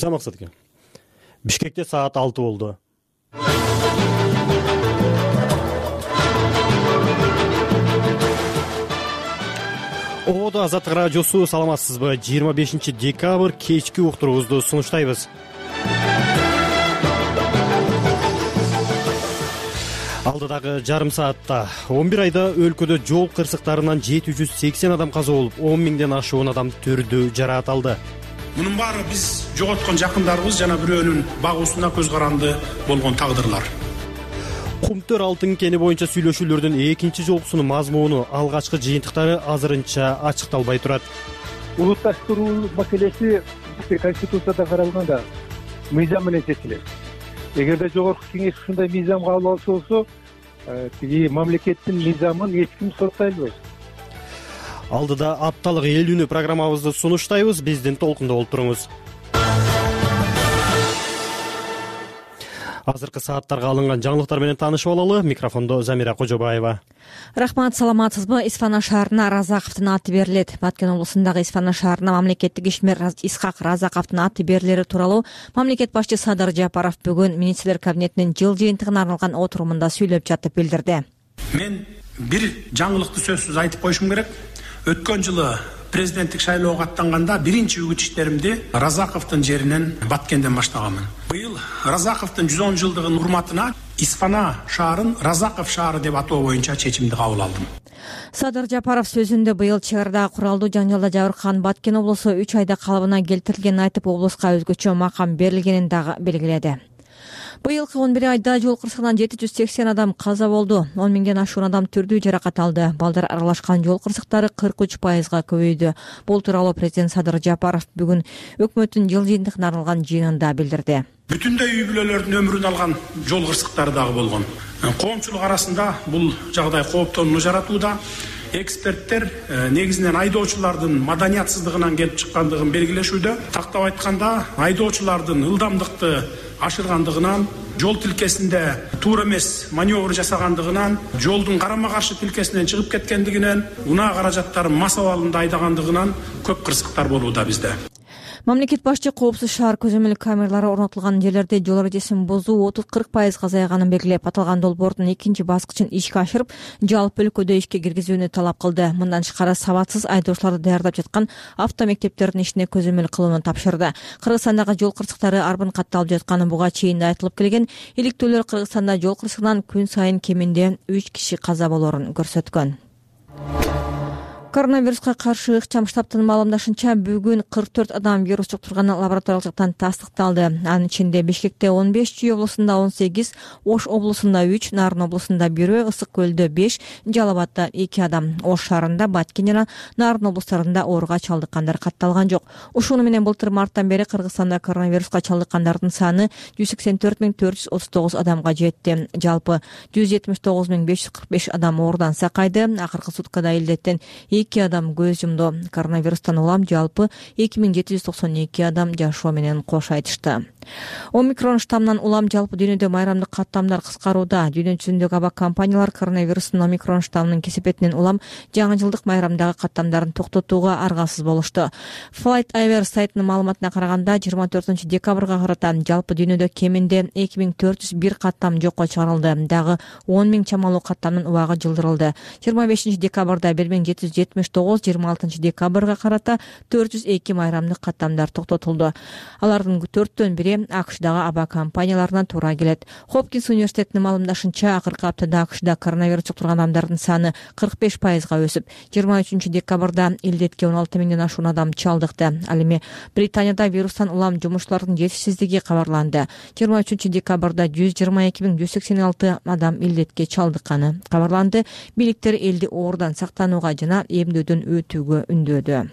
Максатке. Бишкекте саат 6 болду. Оодо Азаттык радиосу, саламатсызбы? 25 декабрь кечки уктуруубузду сунуштайбыз. Алдыдагы жарым саатта 11 айда өлкөдө жол кырсыктарынан 780 адам каза болуп, 10 миңден ашуун адам түрдүү жараат алды. Мунун баары биз жоготкон жакындарыбыз жана бирөөнүн багуусуна көз каранды болгон тагдырлар. Кумтөр алтын кени боюнча сүйлөшүүлөрдүн экинчи жолкусунун мазмуну, алгачкы жыйынтыктары азырынча ачыкталбай турат. Улутташтыруу маселеси Конституцияда каралганда мыйзам менен чечилет. Эгерде жогорку кеңеш ушундай мыйзам кабыл алса болсо, тиги мамлекеттин мыйзамын эч ким соттой албайт. Алдыда апталык эл үнү программабызды сунуштайбыз. Биздин толкунда болуп туруңуз. Азыркы сааттарга алынган жаңылыктар менен таанышып алалы. Микрофондо Замира Кожобаева. Рахмат, саламатсызбы? Исфана шаарына Разаковдун аты берилет. Баткен облусундагы Исфана шаарына мамлекеттик ишмер Исхак Разаковдун аты берилери тууралуу мамлекет башчы Садыр Жапаров бүгүн министрлер кабинетинин жыл жыйынтыгына арналган отурумунда сүйлөп жатып билдирди. Мен бир жаңылыкты сөзсүз айтып коюшум керек. Өткөн жылы президенттик шайлоого аттанганда биринчи үгүт иштеримди Разаковдун жеринен Баткенден баштаганмын. Быйыл Разаковдун 110 жылдыгынын урматына Исфана шаарын Разаков шаары деп атоо боюнча чечимди кабыл алдым. Садыр Жапаров сөзүндө быйыл чек арадагы куралдуу жаңжалда жабыркаган Баткен облусу 3 айда калыбына келтирилгенин айтып, облуска өзгөчө макам берилгенин дагы белгиледи. Быйылкы 11 айда жол кырсыгынан 780 адам каза болду. 10 миңден ашуун адам түрдүү жаракат алды. Балдар аралашкан жол кырсыктары 43%га көбөйдү. Бул тууралуу президент Садыр Жапаров бүгүн өкмөттүн жыл жыйынтыгына арналган жыйынында билдирди. Бүтүндөй үй бүлөлөрдүн өмүрүн алган жол кырсыктары дагы болгон. Коомчулук арасында бул жагдай кооптонууну жаратууда. Эксперттер негизинен айдоочулардын маданиятсыздыгынан келип чыккандыгын белгилешүүдө. Тактап айтканда, айдоочулардын ылдамдыкты ашыргандыгынан, жол тилкесинде туура эмес маневр жасагандыгынан, жолдун карама каршы тилкесинен чыгып кеткендигинен, унаа каражаттарын мас абалында айдагандыгынан көп кырсыктар болууда бизде. Мамлекет башчы коопсуз шаар көзөмөл камералары орнотулган жерлерде жол эрежесин бузуу 30-40% азайганын белгилеп, аталган долбоордун экинчи баскычын ишке ашырып, жалпы өлкөдө ишке киргизүүнү талап кылды. Мындан тышкары сабатсыз айдоочуларды даярдап жаткан автомектептердин ишине көзөмөл кылууну тапшырды. Кыргызстандагы жол кырсыктары арбын катталып жатканы буга чейин да айтылып келген. Иликтөөлөр Кыргызстанда жол кырсыгынан күн сайын кеминде 3 киши каза болоорун көрсөткөн. Коронавируска каршы ыкчам штабтын маалымдашынча, бүгүн 44 адам вирус жуктурганы лабораториялык жактан тастыкталды. Анын ичинде Бишкекте 15, Чүй облусунда 18, Ош облусунда 3, Нарын облусунда 1, Ысык көлдө 5, Жалал Абадда 2 адам. Ош шаарында, Баткен жана Нарын облустарында ооруга чалдыккандар катталган жок. Ушуну менен былтыр марттан бери Кыргызстанда коронавируска чалдыккандардын саны 184.439 адамга жетти. Жалпы 179.545 адам оорудан сакайды. Акыркы суткада илдеттен 2 адам көз жумду. Коронавирустан улам жалпы 2792 адам жашоо менен кош айтышты. Омикрон штаммынан улам жалпы дүйнөдө майрамдык каттамдар кыскарууда. Дүйнө жүзүндөгү аба компаниялар коронавирустун омикрон штаммынын кесепетинен улам жаңы жылдык майрамдагы каттамдарын токтотууга аргасыз болушту. FlightAware сайтынын маалыматына караганда, 24 декабрга карата жалпы дүйнөдө кеминде 2401 каттам жокко чыгарылды. Дагы 10 миң чамалуу каттамдын убагы жылдырылды. 25 декабрда 1779, 26 декабрга карата 402 майрамдык каттамдар токтотулду. Алардын 4төн бири АКШдагы аба компанияларына туура келет. Хопкинс университетинин маалымдашынча, акыркы аптада АКШда коронавирус жуктурган адамдардын саны 45%га өсүп, 23 декабрда илдетке 16 миңден ашуун адам чалдыкты. Ал эми Британияда вирустан улам жумушчулардын жетишсиздиги кабарланды. 23 декабрда 122.186 адам илдетке чалдыкканы кабарланды. Бийликтер элди оорудан сактанууга жана эмдөөдөн өтүүгө үндөдү.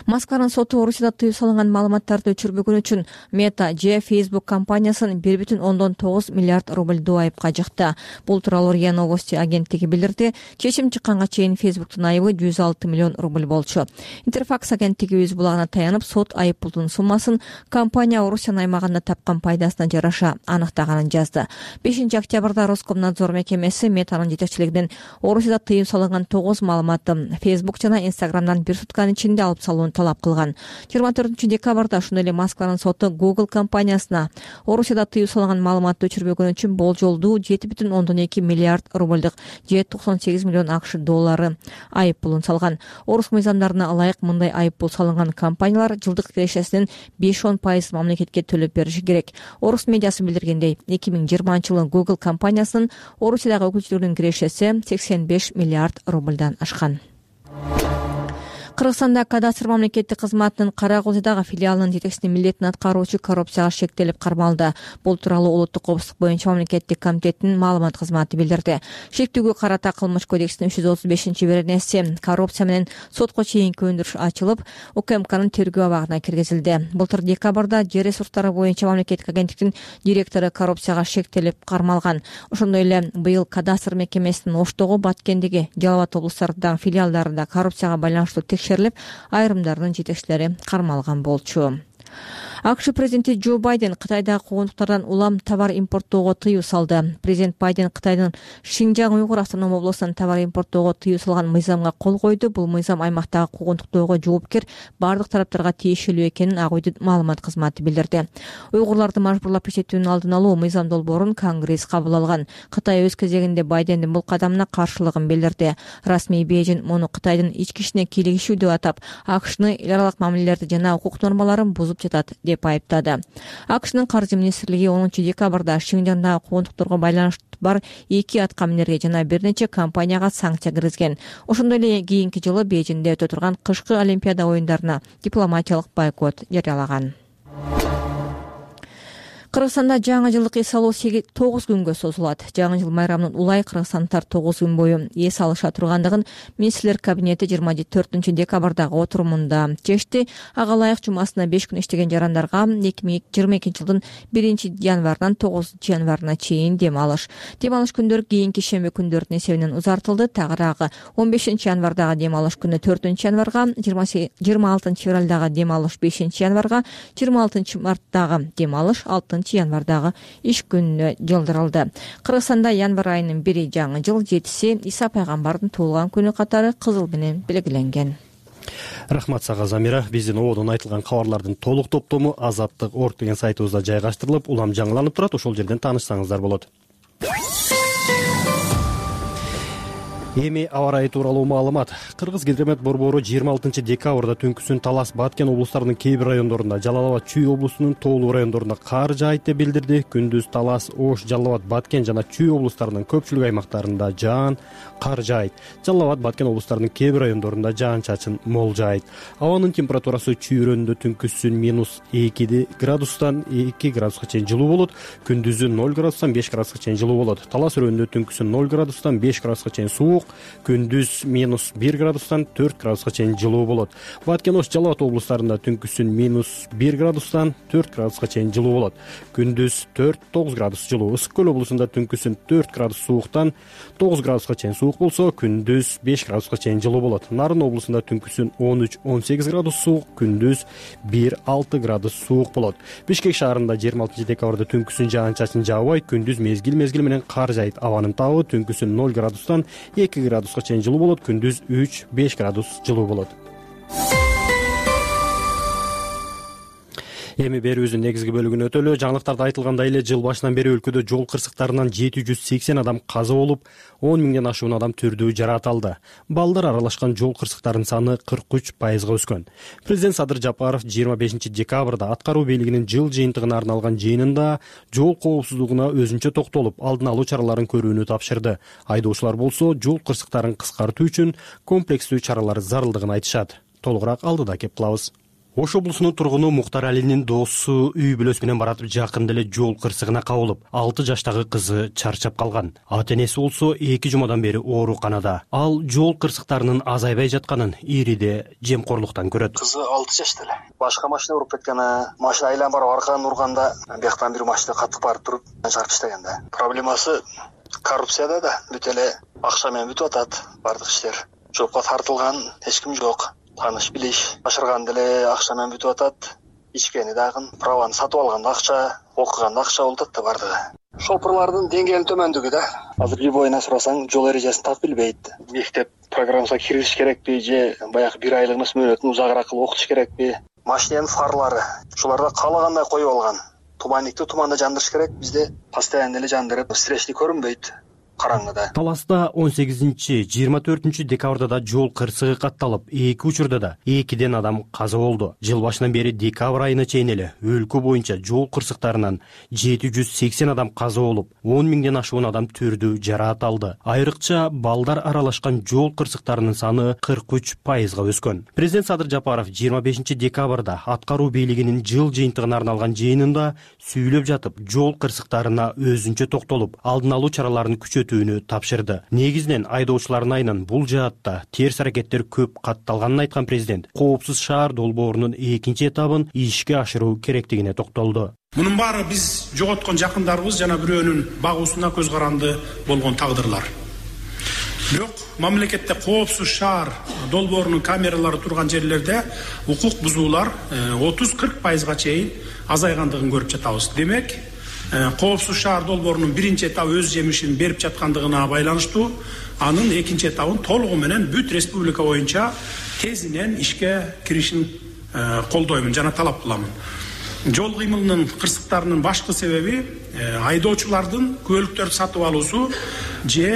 Москванын соту Орусияда тыюу салынган маалыматтарды өчүрбөгөн үчүн Meta же Facebook компаниясын 1,9 миллиард рубльдуу айыпка жыкты. Бул тууралуу РИА Новости агенттиги билдирди. Чечим чыкканга чейин Facebooктун айыбы 106 миллион рубль болчу. Интерфакс агенттиги өз булагына таянып, сот айып пулдун суммасын компания Орусиянын аймагында тапкан пайдасына жараша аныктаганын жазды. 5 октябрда Роскомнадзор мекемеси Метанын жетекчилигинен Орусияда тыюу салынган 9 маалыматты Facebook жана Instagram'дан бир сутканын ичинде алып салууну талап кылган. 24-декабрда ошондой эле Москванын соту Google компаниясына Орусияда тыюу салынган маалыматты өчүрбөгөнү үчүн болжолдуу 7,2 миллиард рубльдук же 98 миллион АКШ доллары айып пулун салган. Орус мыйзамдарына ылайык мындай айып пул салынган компаниялар жылдык кирешесинин 5-10% мамлекетке төлөп бериши керек. Орус медиасы билдиргендей, 2020-жылы Google компаниясынын Орусиядагы өкүлчүлүгүнүн кирешеси 85 миллиард рубльдан ашкан. Кыргызстанда кадастр мамлекеттик кызматынын Кара Козойдагы филиалынын жетекчисинин милдетин аткаруучу коррупцияга шектелип кармалды. Бул тууралуу Улуттук коопсуздук боюнча мамлекеттик комитеттин маалымат кызматы билдирди. Шектүүгө карата Кылмыш кодексинин 335-беренеси коррупция менен сотко чейинки өндүрүш ачылып, УКМКнын тергөө абагына киргизилди. Былтыр декабрда жер ресурстары боюнча мамлекеттик агенттиктин директору коррупцияга шектелип кармалган. Ошондой эле быйыл кадастр мекемесинин Оштогу, Баткендеги, Жалал Абад облустарындагы филиалдарында коррупцияга байланыштуу текшерилип, айрымдарынын жетекчилери кармалган болчу. АКШ президенти Джо Байден Кытайдагы куугунтуктардан улам товар импорттоого тыюу салды. Президент Байден Кытайдын Шинжаң Уйгур автоном облусунан товар импорттоого тыюу салган мыйзамга кол койду. Бул мыйзам аймактагы куугунтуктоого жоопкер бардык тараптарга тиешелүү экенин Ак Үйдүн маалымат кызматы билдирди. Уйгурларды мажбурлап иштетүүнүн алдын алуу мыйзам долбоорун Конгресс кабыл алган. Кытай өз кезегинде Байдендин бул кадамына каршылыгын билдирди. Расмий Бейжин муну Кытайдын ички ишине кийлигишүү деп атап, АКШны эл аралык мамилелерди жана укук нормаларын бузуп жатат деп айыптады. АКШнын каржы министрлиги 10-декабрда Шинжаңдагы куугунтукторго байланыштуу бар 2 аткаминерге жана бир нече компанияга санкция киргизген. Ошондой эле кийинки жылы Бейжиңде өтө турган кышкы Олимпиада оюндарына дипломатиялык бойкот жарыялаган. Кыргызстанда жаңы жылдык эс алуу 9 күнгө созулат. Жаңы жыл майрамынын улай кыргызстандыктар 9 күн бою эс алыша тургандыгын министрлер кабинети 24-декабрдагы отурумунда чечти. Ага ылайык жумасына 5 күн иштеген жарандарга 2022-жылдын 1-январынан 9-январына чейин дем алыш. Дем алыш күндөрү кийинки шемби күндөрдүн эсебинен узартылды. Тагыраагы 15-январдагы дем алыш күнү 4-январга, 26-февралдагы дем алыш 5-январга, 26-марттагы дем алыш 6-январдагы иш күнүнө жылдырылды. Кыргызстанда январь айынын 1 жаңы жыл, 7-си Иса пайгамбардын туулган күнү катары кызыл менен белгиленген. Рахмат сага Замира. Биздин ободон айтылган кабарлардын толук топтому Азаттык орг деген сайтыбызда жайгаштырылып, улам жаңыланып турат. Ошол жерден таанышсаңыздар болот. Эми аба ырайы тууралуу маалымат. Кыргыз-Гидромет борбору 26-декабрда түнкүсүн Талас, Баткен облустарынын кээ бир райондорунда, Жалал Абад, Чүй облусунун тоолуу райондорунда кар жаайт деп билдирди. Күндүз Талас, Ош, Жалал Абад, Баткен жана Чүй облустарынын көпчүлүк аймактарында жаан, кар жаайт. Жалал Абад, Баткен облустарынын кээ бир райондорунда жаан-чачын молжайт. Абанын температурасы чүйрөндө түнкүсүн -2 градустан 2 градуска чейин жылуу болот. Күндүзү 0 градустан 5 градуска чейин жылуу болот. Талас районунда түнкүсүн 0 градустан 5 градуска чейин суук, күндүз -1 градустан 4 градуска чейин жылуу болот. Баткен, Ош, Жалал Абад облустарында түнкүсүн -1 градустан 4 градуска чейин жылуу болот. Күндүз 4-9 градус жылуу. Ысык көл облусунда түнкүсүн 4 градус сууктан 9 градуска чейин суук болсо, күндүз 5 градуска чейин жылуу болот. Нарын облусунда түнкүсүн 13-18 градус суук, күндүз 1-6 градус суук болот. Бишкек шаарында 26-декабрда түнкүсүн жаан-чачын жаабайт, күндүз мезгил менен кар жаайт. Абанын табы түнкүсүн 0 градустан 2 градуска чейин жылуу болот, күндүз 3-5 градус жылуу болот. Эми берүүбүздүн негизги бөлүгүнө өтөлү. Жаңылыктарда айтылгандай эле жыл башынан бери өлкөдө жол кырсыктарынан 780 адам каза болуп, 10 миңден ашуун адам түрдүү жараталды. Балдар аралашкан жол кырсыктарынын саны 43%га өскөн. Президент Садыр Жапаров 25-декабрда аткаруу бийлигинин жыл жыйынтыгына арналган жыйынында жол коопсуздугуна өзүнчө токтолуп, алдын алуу чараларын көрүүнү тапшырды. Айдоочулар болсо жол кырсыктарын кыскартуу үчүн комплекстүү чаралар зарылдыгын айтышат. Толугураак алдыда кеп кылабыз. Ош облусунун тургуну Муктар Алинин досу үй бүлөсү менен баратып жакында эле жол кырсыгына кабылып, 6 жаштагы кызы чарчап калган. Ата-энеси болсо 2 жумадан бери ооруканада. Ал жол кырсыктарынын азайбай жатканын ириде жемкорлуктан көрөт. Кызы 6 жашта эле. Башка машина уруп кеткен, машина айланып барып аркадан урганда, бияктан бир машина катып барып туруп чарпып таштаган да. Проблемасы коррупцияда да, бүт эле акча менен бүтүп атат бардык иштер. Жоопко тартылган эч ким жок. Таныш билиш башырган деле акча менен бүтүп атат. Ичкени дагы, праваны сатып алганда акча, окуганда акча болуп атат да бардыгы. Шопурлардын деңгээлинин төмөндүгү да. Азыр любойуна сурасаң, жол эрежесин так билбейт. Мектеп программасына киргизиш керекпи же баягы 1 айлык мөөнөтүн узагыраак кылып окутуш керекпи? Машинанын фарлары ушуларда каалагандай коюп алган. Туманникти туманда жандырыш керек. Бизде постоянно эле жандырып, встречный көрүнбөйт. Караңгыда. Таласта 18-24 декабрда да жол кырсыгы катталып, 2 учурда да 2ден адам каза болду. Жыл башынан бери декабрь айына чейин эле өлкө боюнча жол кырсыктарынан 780 адам каза болуп, 10 миңден ашуун адам түрдүү жараат алды. Айрыкча балдар аралашкан жол кырсыктарынын саны 43%га өскөн. Президент Садыр Жапаров 25 декабрда аткаруу бийлигинин жыл жыйынтыгына арналган жыйынында сүйлөп жатып, жол кырсыктарына өзүнчө токтолуп, алдын алуу чараларын күчөтүүнү тапшырды. Негизинен айдоочулардын айынан бул жаатта терс аракеттер көп катталганын айткан президент коопсуз шаар долбоорунун 2 этабын ишке ашыруу керектигине токтолду. Мунун баары биз жоготкон жакындарыбыз жана бирөөнүн багуусуна көз каранды болгон тагдырлар. Бирок мамлекетте коопсуз шаар долбоорунун камералары турган жерлерде укук бузуулар 30-40%га чейин азайгандыгын көрүп жатабыз. Демек, коопсуз шаар долбоорунун 1 этабы өз жемишин берип жаткандыгына байланыштуу, анын 2 этабын толугу менен бүт республика боюнча тезинен ишке киришин колдоймун жана талап кыламын. Жол кыймылынын кырсыктарынын башкы себеби айдоочулардын күбөлүктөрдү сатып алуусу же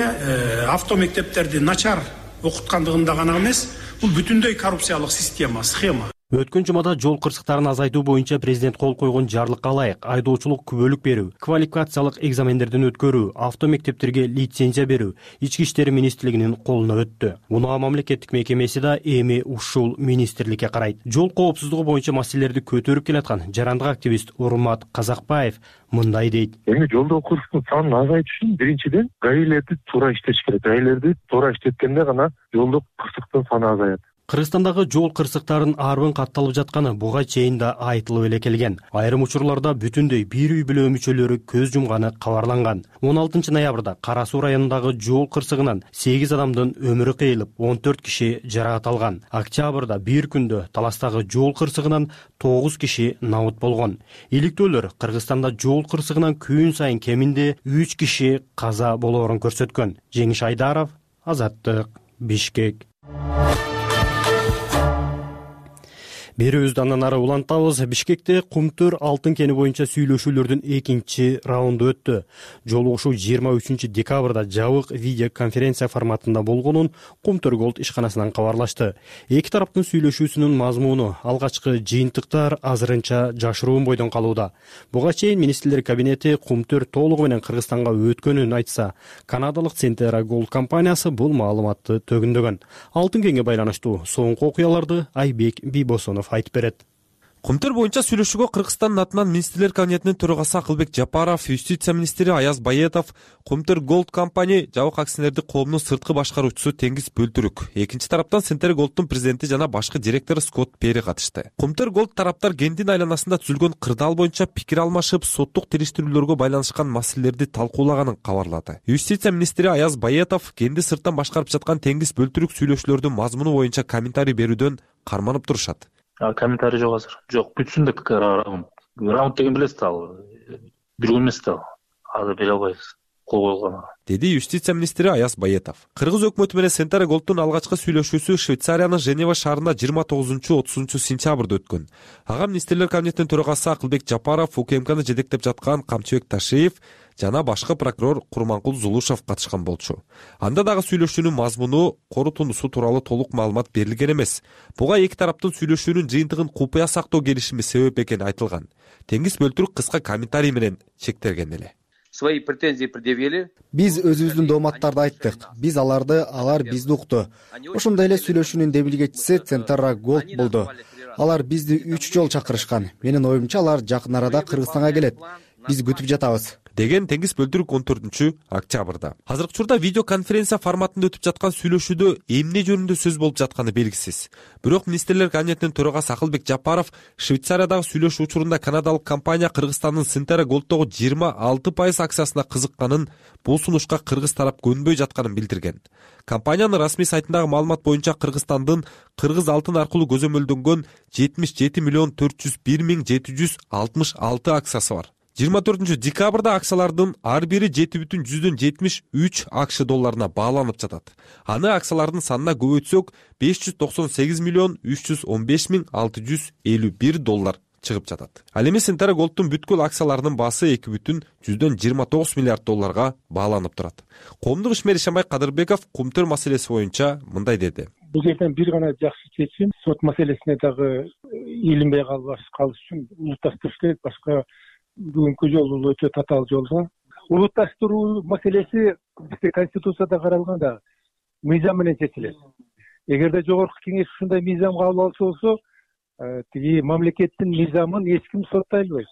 автомектептерди начар окуткандыгында гана эмес, бул бүтүндөй коррупциялык схема. Өткөн жумада жол кырсыктарын азайтуу боюнча президент кол койгон жарлыкка ылайык айдоочулук күбөлүк берүү, квалификациялык экзамендерден өткөрүү, автомектептерге лицензия берүү Ички иштер министрлигинин колуна өттү. Унаа мамлекеттик мекемеси да эми ушул министрликке карайт. Жол коопсуздугу боюнча маселелерди көтөрүп келаткан жарандык активист Урмат Казакбаев мындай дейт. Эми жолдогу кырсыктын санын азайтыш үчүн биринчиден гаилерди туура иштеш керек. Гаилерди туура иштеткенде гана жолдогу кырсыктын саны азаят. Кыргызстандагы жол кырсыктарын арбын катталып жатканы буга чейин да айтылып эле келген. Айрым учурларда бүтүндөй бир үй бүлө мүчөлөрү көз жумганы кабарланган. 16 ноябрда Кара Суу районундагы жол кырсыгынан 8 адамдын өмүрү кыйылып, 14 киши жараат алган. Октябрда бир күндө Таластагы жол кырсыгынан 9 киши набыт болгон. Иликтөөлөр Кыргызстанда жол кырсыгынан күн сайын кеминде 3 киши каза болоорун көрсөткөн. Жеңиш Айдаров, Азаттык, Бишкек. Берүүбүздү андан ары улантабыз. Бишкекте Кумтөр алтын кени боюнча сүйлөшүүлөрдүн 2 раунду өттү. Жолугушуу 23 декабрда жабык видео конференция форматында болгонун Кумтөр Голд ишканасынан кабарлашты. Эки тараптын сүйлөшүүсүнүн мазмуну алгачкы жыйынтыктар азырынча жашыруун бойдон калууда. Буга чейин министрлер кабинети Кумтөр толугу менен Кыргызстанга өткөнүн айтса, канадалык Centera Gold компаниясы бул маалыматты төгүндөгөн. Алтын кенге байланыштуу соңку окуяларды Айбек Бийбосонов айтып берет. Кумтөр боюнча сүйлөшүүгө Кыргызстандын атынан министрлер кабинетинин төрагасы Акылбек Жапаров, юстиция министри Аяз Байетов, Кумтөр Голд компания жабык акционердик коомунун сырткы башкаруучусу Теңиз Бөлтүрүк, экинчи тараптан Centera Gold'дун президенти жана башкы директору Скотт Пери катышты. Кумтөр Голд тараптар кендин айланасында түзүлгөн кырдаал боюнча пикир алмашып, соттук териштирүүлөргө байланышкан маселелерди талкуулаганын кабарлады. Юстиция министри Аяз Байетов кенди сырттан башкарып жаткан Теңиз Бөлтүрүк сүйлөшүүлөрдүн мазмуну боюнча комментарий берүүдөн карманып турушат. Комментарий жок азыр. Жок, бүтүн раунд деген билесиз ал. Бир күн эмес да. Азыр бере албайбыз. Кол койгон. Деди юстиция министри Аяз Байетов. Кыргыз өкмөтү менен Centera Gold'дун алгачкы сүйлөшүүсү Швейцариянын Женева шаарында 29-30 сентябрда өткөн. Ага министрлер кабинетинин төрагасы Акылбек Жапаров, УКМКны жетектеп жаткан Камчыбек Ташиев жана башкы прокурор Курманкул Зулушев катышкан болчу. Анда дагы сүйлөшүүнүн мазмуну корутундусу тууралуу толук маалымат берилген эмес. Буга эки тараптын сүйлөшүүнүн жыйынтыгын купуя сактоо келишими себеп экени айтылган. Теңиз Бөлтүрүк кыска комментарий менен чектелген эле. Свои претензии предъявили. Биз өзүбүздүн дооматтарды айттык. Биз алар бизди укту. Ошондой эле сүйлөшүүнүн демилгечиси Centera Gold болду. Алар бизди 3 жолу чакырышкан. Менин оюмча алар жакын арада Кыргызстанга келет. Биз күтүп жатабыз, деген Теңиз Бөлтүрүк 14 октябрда. Азыркы учурда видеоконференция форматында өтүп жаткан сүйлөшүүдө эмне жөнүндө сөз болуп жатканы белгисиз. Бирок министрлер кабинетинин төрагасы Акылбек Жапаров Швейцариядагы сүйлөшүү учурунда канадалык компания Кыргызстандын Centera Gold'догу 26% акциясына кызыкканын, бул сунушка кыргыз тарап көнбөй жатканын билдирген. Компаниянын расмий сайтындагы маалымат боюнча Кыргызстандын кыргыз алтын аркылуу көзөмөлдөнгөн 77 401 766 акциясы бар. 24 декабрда акциялардын ар бири 7,73 АКШ долларына бааланып жатат. Аны акциялардын санына көбөйтсөк 598 миллион 315 миң 651 доллар чыгып жатат. Ал эми Centara Gold'дун бүткүл акцияларынын баасы 2,29 миллиард долларга бааланып турат. Коомдук ишмер Ишанбай Кадырбеков кумтөр маселеси боюнча мындай деди. Бул жерден бир гана жакшы чечим, сот маселесине дагы илинбей калыш үчүн улутташтырыш керек. Башка бүгүнкү жолу өтө татаал жолго. Улутташтыруу маселеси бизде Конституцияда каралганда мыйзам менен чечилет. Эгерде жогорку кеңеш ушундай мыйзам кабыл алса болсо, тиги мамлекеттин мыйзамын эч ким соттой албайт.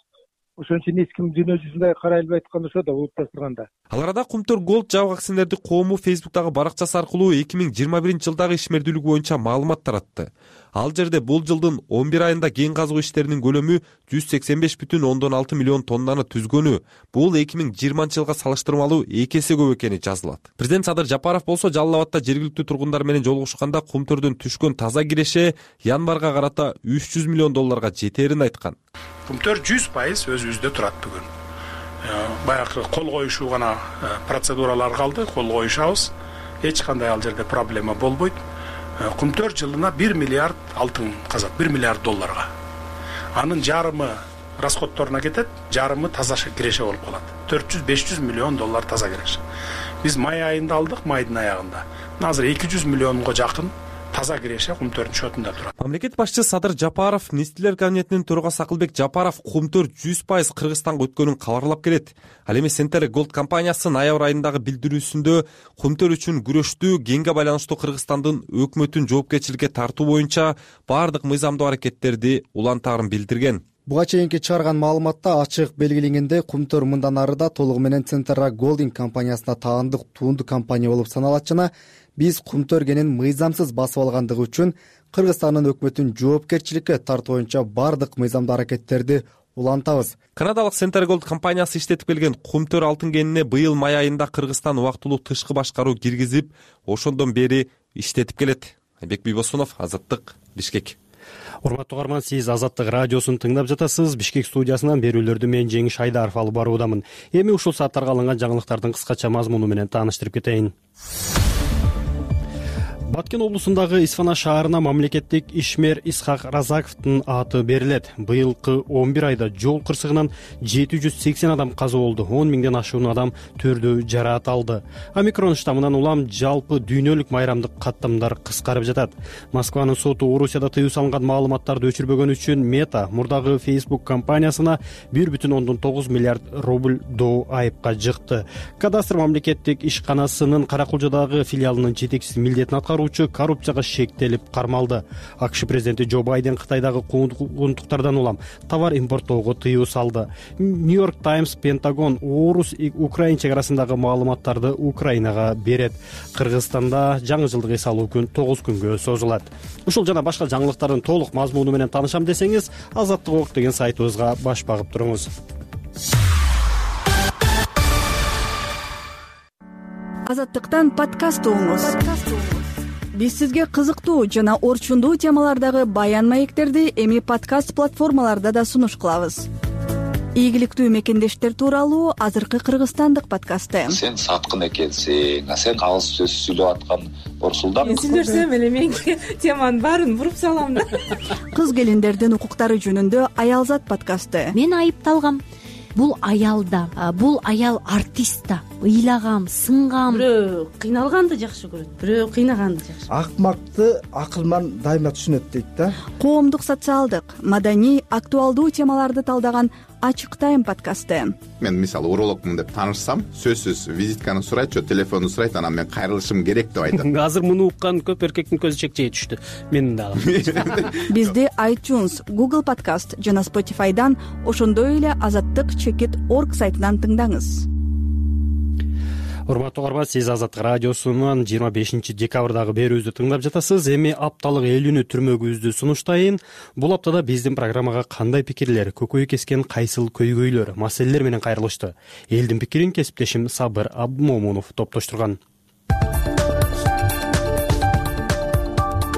Ошон үчүн эч ким дүйнө жүзүндө карай албайт эткан ошо да улутташтырганда. Ал арада Кумтөр Gold жабык акционердик коому Facebook'тагы баракчасы аркылуу 2021-жылдагы ишмердүүлүк боюнча маалымат таратты. Ал жерде бул жылдын 11 айында кен казуу иштеринин көлөмү 185,6 миллион тоннаны түзгөнү, бул 2020-жылга салыштырмалуу 2 эсе көп экени жазылат. Президент Садыр Жапаров болсо Жалал Абадта жергиликтүү тургундар менен жолугушканда Кумтөрдөн түшкөн таза киреше январга карата 300 миллион долларга жетерин айткан. Кумтөр 100% өзүбүздө турат бүгүн. Баягы кол коюшуу гана процедуралар калды, кол коюшабыз. Эч кандай ал жерде проблема болбойт. Кумтөр жылына 1 миллиард алтын казат, 1 миллиард долларга. Анын жарымы расходторуна кетет, жарымы таза киреше болуп калат. 400-500 миллион доллар таза киреше. Биз май айында алдык, майдын аягында. Азыр 200 миллионго жакын таза киреше Кумтөрдүн шотунда турат. Мамлекет башчысы Садыр Жапаров, Нестилер кабинетинин төрагасы Акылбек Жапаров Кумтөр 100% Кыргызстанга өткөнүн кабарлап келет. Ал эми Centara Gold компаниясы ноябрь айындагы билдирүүсүндө Кумтөр үчүн күрөштүү кенге байланыштуу Кыргызстандын өкмөтүн жоопкерчиликке тартуу боюнча бардык мыйзамдуу аракеттерди улантаарын билдирген. Буга чейинки чыгарган маалыматта ачык белгиленгендей, Кумтөр мындан ары да толугу менен Centara Gold компаниясына таандык туунду компания болуп саналат жана биз Кумтөр кенин мыйзамсыз басып алгандыгы үчүн Кыргызстандын өкмөтүн жоопкерчиликке тартуу боюнча бардык мыйзамдуу аракеттерди улантабыз. Канадалык Centara Gold компаниясы иштетип келген Кумтөр алтын кенине быйыл май айында Кыргызстан убактылуу тышкы башкаруу киргизип, ошондон бери иштетип келет. Айбек Бийбосунов, Азаттык, Бишкек. Урматтуу угарман, сиз Азаттык радиосун тыңдап жатасыз. Бишкек студиясынан берүүлөрдү мен Жеңиш Айдаров алып баруудамын. Эми ушул сааттарга алынган жаңылыктардын кыскача мазмуну менен тааныштырып кетейин. Баткен облусундагы Исфана шаарына мамлекеттик ишмер Исхак Разаковдун аты берилет. Быйылкы 11 айда жол кырсыгынан 780 адам каза болду, 10 миңден ашуун адам түрдүү жараат алды. Омикрон штаммынан улам жалпы дүйнөлүк майрамдык каттамдар кыскарып жатат. Москванын соту Орусияда тыюу салынган маалыматтарды өчүрбөгөн үчүн Мета мурдагы Facebook компаниясына 1,9 миллиард рубль доо айыпка жыкты. Кадастр мамлекеттик ишканасынын Каракулжадагы филиалынын жетекчиси милдетин аткаруу коррупцияга шектелип кармалды. АКШ президенти Джо Байден Кытайдагы куугунтуктардан улам товар импорттоого тыюу салды. Нью-Йорк Таймс Пентагон Орус-Украин чек арасындагы маалыматтарды Украинага берет. Кыргызстанда жаңы жылдык эс алуу күн 9 күнгө созулат. Ушул жана башка жаңылыктардын толук мазмуну менен таанышам десеңиз, Азаттык ок деген сайтыбызга баш багып туруңуз. Азаттыктан подкаст угуңуз. Биз сизге кызыктуу жана орчундуу темалардагы баян маектерди эми подкаст платформаларда да сунуш кылабыз. Ийгиликтүү мекендештер тууралуу азыркы кыргызстандык подкасты. Сен саткын экенсиң, сен алыс сөз сүйлөп аткан Орсулдан. Мен сүйлөсөм эле мен теманын баарын буруп салам да. Кыз келиндердин укуктары жөнүндө Аялзат подкасты. Мен айыпталгам. Бул аял да, бул аял артист да. Ыйлагам, сынгам. Бирөө кыйналганды жакшы көрөт, бирөө кыйнаганды жакшы. Акмакты акылман дайыма түшүнөт дейт да. Коомдук, социалдык, маданий, актуалдуу темаларды талдаган Ачык тайм подкасты. Мен мисалы урологмун деп таанышсам, сөзсүз визитканы сурайт, телефонду сурайт, анан мен кайрылышым керек деп айтат. Азыр муну уккан көп эркектин көзү чекчейе түштү. Менин дагы. Бизди iTunes, Google Podcast жана Spotify'дан, ошондой эле azattyk.org сайтынан тыңдаңыз. Урматтуу угарман, сиз Азаттык радиосунун 25 декабрдагы берүүбүздү тыңдап жатасыз. Эми апталык элүүнү түрмөгүбүздү сунуштайын. Бул аптада биздин программага кандай пикирлер, көкөй кескен кайсыл көйгөйлөр, маселелер менен кайрылышты? Элдин пикирин кесиптешим Сабыр Абдмомунов топтоштурган.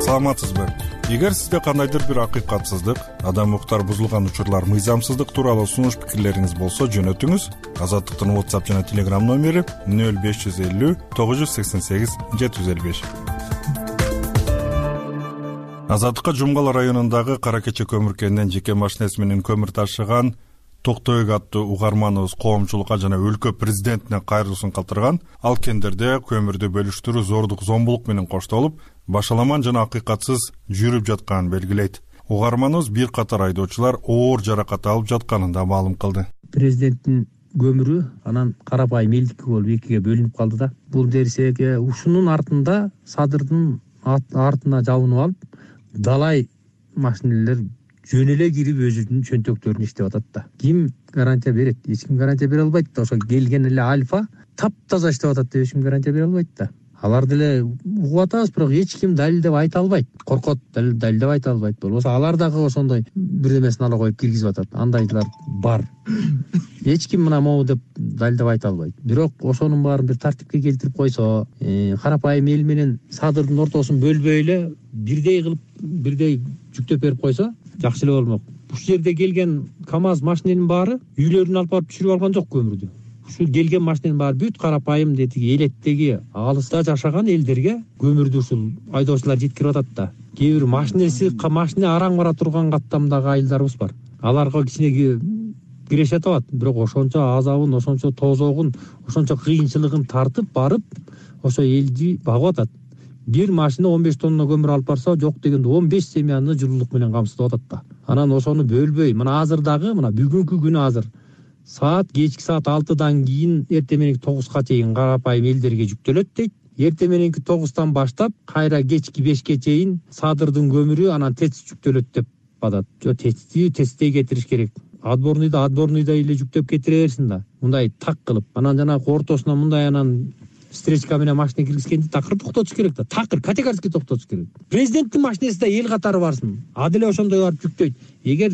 Саламатсызбы? Эгер сизде кандайдыр бир акыйкатсыздык, адам укуктары бузулган учурлар, мыйзамсыздык тууралуу сунуш пикирлериңиз болсо жөнөтүңүз. Азаттыктын WhatsApp жана Telegram номери 0550 988 755. Азаттыкка Жумгала районундагы Кара Кече көмүр кенинен жеке машинеси менен көмүр ташыган Токтобек аттуу угарманыбыз коомчулукка жана өлкө президентине кайрылуусун калтырган. Ал кендерде көмүрдү бөлүштүрүү зордук, зомбулук менен коштолуп, башаламан жана акыйкатсыз жүрүп жатканын белгилейт. Угарманыбыз бир катар айдоочулар оор жаракат алып жатканын да маалым кылды. Президенттин көмүрү анан карапайым элдики болуп экиге бөлүнүп калды да. Бул дерсеге ушунун артында садырдын артына жабынып алып, далай машинелер жөн эле кирип өзүнүн чөнтөктөрүн иштеп атат да. Ким гарантия берет? Эч ким гарантия бере албайт да. Ошо келген эле Альфа таптаза иштеп атат деп эч ким гарантия бере албайт да. Алар деле угуп атабыз, бирок эч ким далилдеп айта албайт. Коркот, далилдеп айта албайт. Болбосо алар дагы ошондой бирдемесин ала коюп киргизип атат. Андайлар бар. Эч ким мына могу деп далилдеп айта албайт. Бирок ошонун баарын бир тартипке келтирип койсо, карапайым эл менен садырдын ортосун бөлбөй эле бирдей кылып, бирдей жүктөп берип койсо жакшы эле болмок. Ушул жерде келген КАМАЗ машиненин баары үйлөрүнө алып барып түшүрүп алган жок көмүрдү. Ушул келген машиненин баары бүт карапайым детиги элеттеги алыста жашаган элдерге көмүрдү ушул айдоочулар жеткирип атат да. Кээ бир машине араң бара турган каттамдагы айылдарыбыз бар. Аларга кичине кирешет атат, бирок ошончо азабын, ошончо тозогун, ошончо кыйынчылыгын тартып барып, ошо элди багып атат. Бир машина 15 тонна көмүр алып барса, жок дегенде 15 семьяны жылуулук менен камсыздап атат да. Анан ошону бөлбөй, мына азыр дагы, мына бүгүнкү күнү азыр кечки саат 6-дан кийин эртең мененки 9га чейин карапайым элдерге жүктөлөт дейт. Эртең мененки 9-тан баштап кайра кечки 5ке чейин садырдын көмүрү анан ТЭЦ жүктөлөт деп атат. Жок, ТЭЦтей кетириш керек. Адборныйда эле жүктөп кетире берсин да. Мындай так кылып, анан жанагы ортосуна мындай анан встречка менен машина киргизгенди такыр токтотуш керек да. Такыр категорически токтотуш керек. Президенттин машинесинде эл катары барсын. Деле ошондой барып жүктөйт. Эгер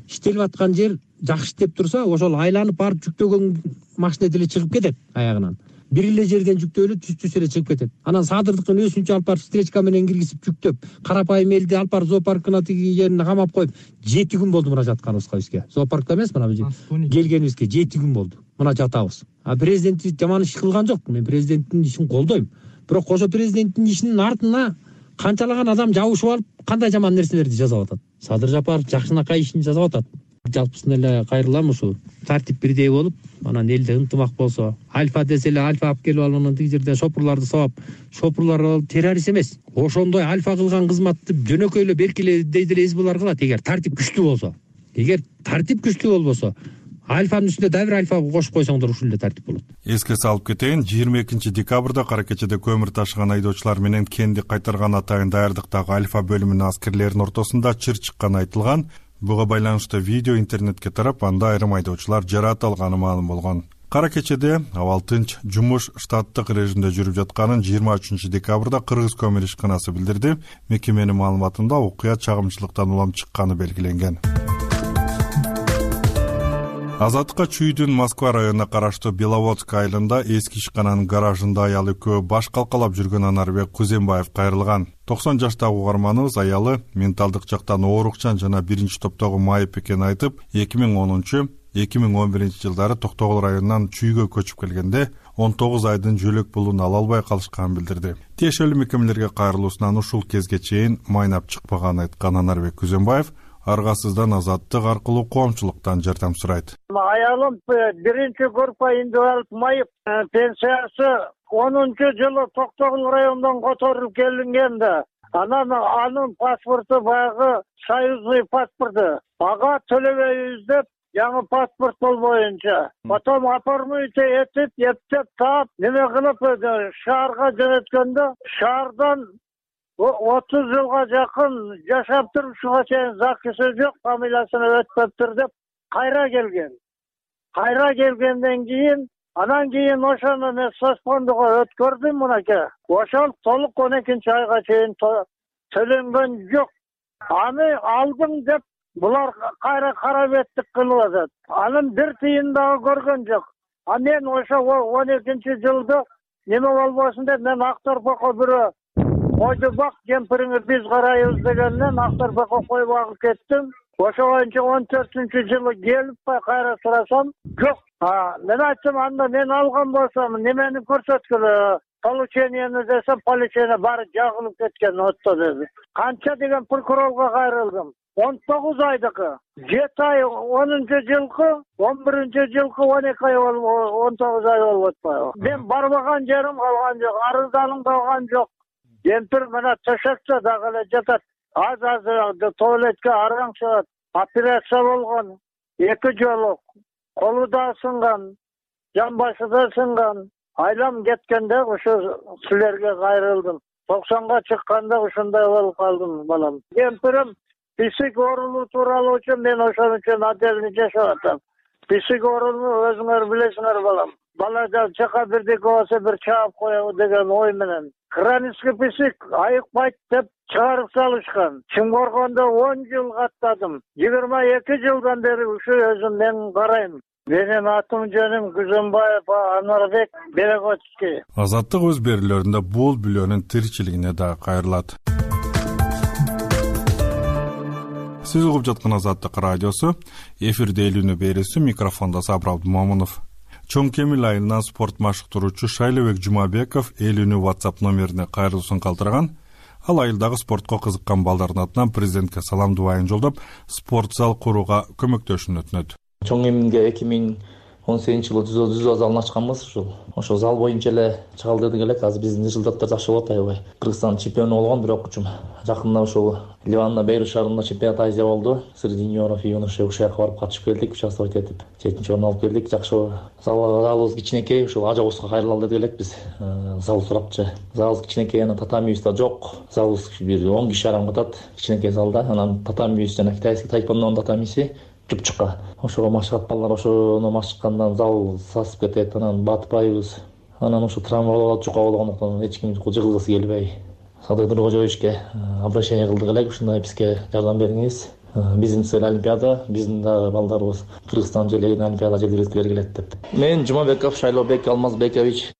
иштелип аткан жер жакшы иштеп турса, ошол айланып барып жүктөгөн машина деле чыгып кетет аягынан. Бир эле жерден жүктөөлү түз эле чыгып кетет. Анан садырдыкын өзүнчө алып барып встречка менен киргизип жүктөп, карапайым элди алып барып зоопаркына тиги жерине камап коюп, 7 күн болду мына жатканыбызга бизге. Зоопаркта эмес, мына келгенибизге 7 күн болду. Мына жатабыз. Президент жаман иш кылган жок. Мен президенттин ишин колдойм. Бирок ошо президенттин ишинин артына канчалаган адам жабышып алып, кандай жаман нерселерди жазап атат. Садыр Жапаров жакшынакай ишин жазап атат. Жалпысын эле кайрылам, ушу тартип бирдей болуп, анан элде ынтымак болсо, Альфа десе эле Альфа алып келип алып, анан тиги жерде шопурларды сабап, шопурлар террорист эмес. Ошондой Альфа кылган кызматты жөнөкөй эле беркеле дейди эле эсбулар кылат, эгер тартип күчтүү болсо. Эгер тартип күчтүү болбосо, Альфанын үстүнө да бир Альфа кошуп койсоңдор ушул эле тартип болот. Эске салып кетейин, 22 декабрда Кара Кечеде көмүр ташыган айдоочулар менен кенди кайтарган атайын даярдыктагы Альфа бөлүмүнүн аскерлеринин ортосунда чыр чыкканы айтылган. Буга байланыштуу видео интернетке тарап, анда айрым айдоочулар жараат алганы маалым болгон. Кара Кечеде абал тынч жумуш штаттык режимде жүрүп жатканын 23 декабрда Кыргыз көмүр ишканасы билдирди. Мекеменин маалыматында окуя чагымчылыктан улам чыкканы белгиленген. Азаттыкка Чүйдүн Москва районуна караштуу Беловодск айылында эски ишкананын гаражында аял экөө баш калкалап жүргөн Анарбек Кузембаев кайрылган. 90 жаштагы угарманыбыз аялы менталдык жактан оорукчан жана биринчи топтогу майып экенин айтып, 2010-2011 жылдары Токтогул районунан Чүйгө көчүп келгенде 19 айдын жөлөк пулун ала албай калышканын билдирди. Тиешелүү мекемелерге кайрылуусунан ушул кезге чейин майнап чыкпаганын айткан Анарбек Кузембаев аргасыздан азаттык аркылуу коомчулуктан жардам сурайт. Аялым биринчи группа индивидуалдык майып пенсиясы 10-жылы Токтогул районунан которулуп келинген да. Анын паспорту баягы союзный паспорту. Ага төлөбөйбүз деп жаңы паспорт болбоюнча. Потом оформить этип, эптеп таап, неме кылып шаарга жөнөткөндө, шаардан 30 жылга жакын жашап туруп, ушуга чейин закысы жок, фамилиясына өтпөптүр деп кайра келген. Кайра келгенден кийин, анан кийин ошону мен соцфондуга өткөрдүм мынакей. Ошол толук 12 айга чейин төлөнгөн жок. Аны алдым деп булар кайра карабеттик кылып атат. Анын бир тыйын дагы көргөн жок. Мен ошо 12 жылда неме болбосун деп мен Акторпокко бирөө койду бак, кемпириңи биз карайбыз дегенден Актарбекке кой багып кеттим. Ошогончо 14-жылы келип кайра сурасам, жок. Мен айттым, анда мен алган болсом немени көрсөткүлө? Получениени десем, получение баары жагылып кеткен отто деди. Канча деген прокурорго кайрылдым. 19 айдыкы, 7 ай 10-жылкы, 11-жылкы 12 ай 19 ай болуп атпайбы. Мен барбаган жерим калган жок, арызданым калган жок. Кемпир мына төшөктө дагы эле жатат. Аз туалетке араң чыгат. Операция болгон, 2 жолу. Колу да сынган, жамбашы да сынган. Айлам кеткенде ушу силерге кайрылдым. 90га чыкканда ушундай болуп калдым, балам. Кемпирим писик оорулуу тууралуу үчүн мен ошон үчүн отдельный жашап атам. Писик оорулуу өзүңөр билесиңер, балам. Бала жака бирдеке болсо бир чаап коебу деген ой менен. Хронический писик айыкпайт деп чыгарып салышкан. Чымкоргондо 10 жыл каттадым. 22 жылдан бери ушу өзүм мен карайм. Менин атым жөнүм Күзөнбаев Анарбек Берегоцкий. Азаттык өз берүүлөрүндө бул бүлөнүн тиричилигине да кайрылат. Сиз угуп жаткан Азаттык радиосу, эфирде Элүүнү берүүсү, микрофондо Сабыр Абдымомунов. Чоң Кемил айылынан спорт машыктыруучу Шайлообек Жумабеков Элүүнү WhatsApp номерине кайрылуусун калтырган. Ал айылдагы спортко кызыккан балдардын атынан президентке салам дубайын жолдоп, спорт зал курууга көмөктөшүн өтүнөт. Чоң Кемилге 2018-жылы жүзөө залын ачканбыз. Ошол зал боюнча эле чыгалдырдык элек. Азыр биздин результаттар жакшы болот аябай. Кыргызстан чемпиону болгон, бирок жакында ошол Ливанда Бейрут шаарында чемпионат Азия болду. Среди юниоров и юношей ушул жака барып катышып келдик, участвовать этип, 7-чи орун алып келдик. Жакшы залыбыз кичинекей, ушул Ажабузга кайрылалы дедик элек биз. Зал сурапчы. Залыбыз кичинекей, анан татамибиз да жок. Залыбыз бир 10 киши арам катат, кичинекей залда. Анан татамибиз жана китайский тайквондонун татамиси чупчукка. Ошого машыгат балдар ошону машыккандан зал сасып кетет, анан батпайбыз. Анан ошо травма болот, жука болгондуктан эч ким жыгылгысы келбей. Садыр Нуркожоевичке обращение кылдык элек, ушундай бизге жардам бериңиз. Биздин цель Олимпиада, биздин да балдарыбыз Кыргызстан желегин Олимпиада жерге өткөргүлө келет деп. Мен Жумабеков Шайлообек Алмазбекович.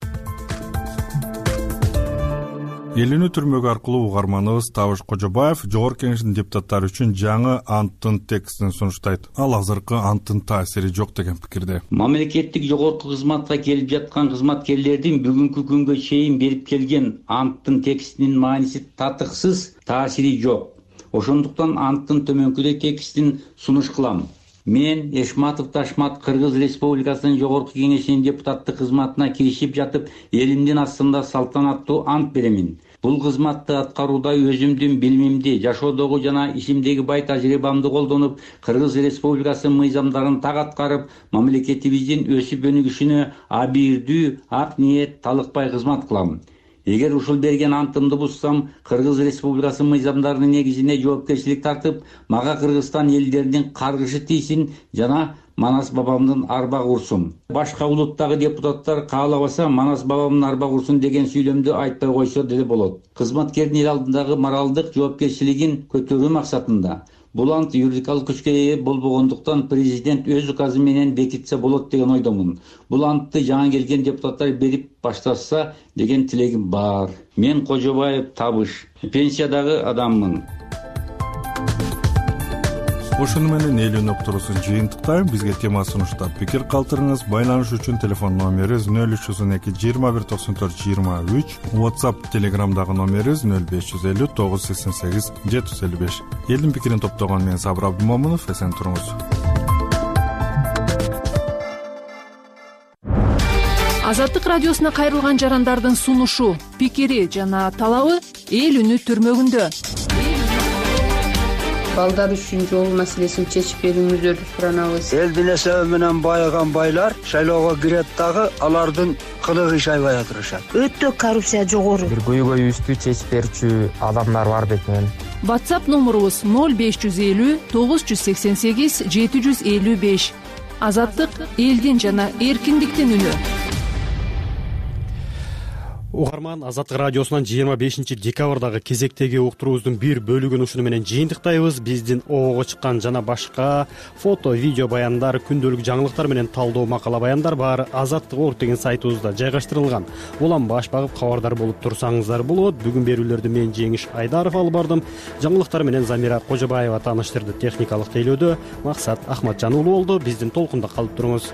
Элүүнү түрмөгү аркылуу угарманыбыз Табыш Кожобаев Жогорку Кеңештин депутаттары үчүн жаңы анттын текстин сунуштайт. Ал азыркы анттын таасири жок деген пикирде. Мамлекеттик жогорку кызматка келип жаткан кызматкерлердин бүгүнкү күнгө чейин берип келген анттын текстинин мааниси татыксыз, таасири жок. Ошондуктан анттын төмөнкүдөй текстин сунуш кылам. Мен Эшматов Ташмат Кыргыз Республикасынын Жогорку Кеңешинин депутаттык кызматына киришип жатып, элимдин астында салтанаттуу ант беремин. Бул кызматты аткарууда өзүмдүн билимимди, жашоодогу жана ишимдеги бай тажрыйбамды колдонуп, Кыргыз Республикасынын мыйзамдарын так аткарып, мамлекетибиздин өсүп өнүгүшүнө абийирдүү, ак ниет талыкпай кызмат кылам. Эгер ушул берген антымды бузсам, Кыргыз Республикасынын мыйзамдарынын негизинде жоопкерчилик тартып, мага Кыргызстан элдеринин каргышы тийсин жана Манас бабамдын арба курсун. Башка улуттагы депутаттар каалабаса Манас бабамдын арба курсун деген сүйлөмдү айтпай койсо деле болот. Кызматкердин эл алдындагы моралдык жоопкерчилигин көтөрүү максатында бул ант юридикалык күчкө ээ болбогондуктан президент өз указы менен бекитсе болот деген ойдомун. Бул антты жаңы келген депутаттар берип башташса деген тилегим бар. Мен Кожобаев Табыш, пенсиядагы адаммын. Ошону менен Элүүнү уктуруусун жыйынтыктайм. Бизге тема сунуштап пикир калтырыңыз. Байланыш үчүн телефон номерибиз 0312 21 94 23, WhatsApp, Telegramдагы номерибиз 0550 988 755. Элдин пикирин топтогон мен Сабыр Абдымомунов, эсен туруңуз. Азаттык радиосуна кайрылган жарандардын сунушу, пикири жана талабы эл үнү түрмөгүндө. Балдар үчүн жол маселесин чечип берүүңүздөрдү суранабыз. Элдин эсеби менен байыган байлар шайлоого кирет дагы алардын кылыгы иш аябай атырышат. Өтө коррупция жогору. Бир көйгөйүбүздү чечип берүүчү адамдар бар бекен. WhatsApp номерубуз 0550 988 755. Азаттык элдин жана эркиндиктин үнү. угарман, Азаттык радиосунан 25 декабрдагы кезектеги уктуруубуздун бир бөлүгүн ушуну менен жыйынтыктайбыз. Биздин обого чыккан жана башка фото, видео баяндар, күндөлүк жаңылыктар менен талдоо макала баяндар баары Азаттык.org деген сайтыбызда жайгаштырылган. Улам баш багып кабардар болуп турсаңыздар болот. Бүгүн берүүлөрдү мен Жеңиш Айдаров алып бардым. Жаңылыктар менен Замира Кожобаева тааныштырды. Техникалык тейлөөдө Максат Ахматжан уулу болду. Биздин толкунда калып туруңуз.